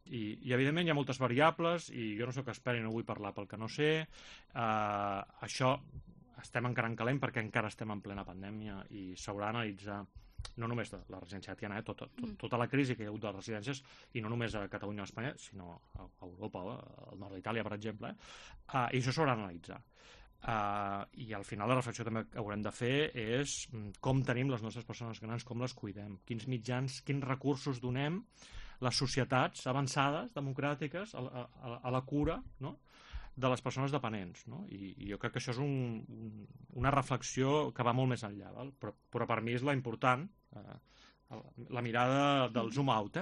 I evidentment hi ha moltes variables i jo no sóc expert i no vull parlar pel que no sé. Això estem encara en calent perquè encara estem en plena pandèmia i s'haurà d'analitzar no només la residència de Tiana, tota la crisi que hi ha hagut de les residències, i no només a Catalunya o a Espanya, sinó a Europa, al nord d'Itàlia, per exemple, i això s'haurà d'analitzar. I al final la reflexió també que haurem de fer és com tenim les nostres persones grans, com les cuidem, quins mitjans, quins recursos donem les societats avançades, democràtiques, a la cura, no?, de les persones dependents, no? I jo crec que això és una reflexió que va molt més enllà, val? Però per mi és la important, la mirada del zoom out,